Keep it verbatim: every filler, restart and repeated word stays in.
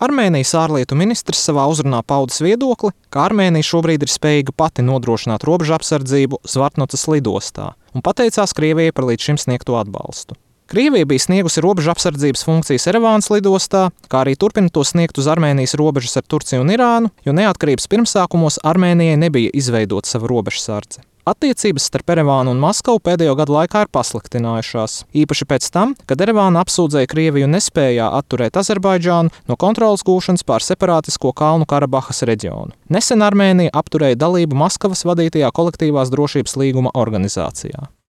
Armēnijas ārlietu ministrs savā uzrunā paudis viedokli, ka Armēnija šobrīd ir spējīga pati nodrošināt robežu apsardzību Zvartnocas lidostā un pateicās Krievijai par līdz šim sniegto atbalstu. Krievija bija sniegusi robežu apsardzības funkcijas Erevānas lidostā, kā arī turpina to sniegt uz Armēnijas robežas ar Turciju un Irānu, jo neatkarības pirmsākumos Armēnijai nebija izveidota sava robežsardze. Attiecības starp Erevānu un Maskavu pēdējo gadu laikā ir pasliktinājušās, īpaši pēc tam, kad Erevāna apsūdzēja Krieviju nespējā atturēt Azerbaidžānu no kontroles gūšanas pār separātisko Kalnu Karabahas reģionu. Nesen Armēnija apturēja dalību Maskavas vadītajā kolektīvās drošības līguma organizācijā.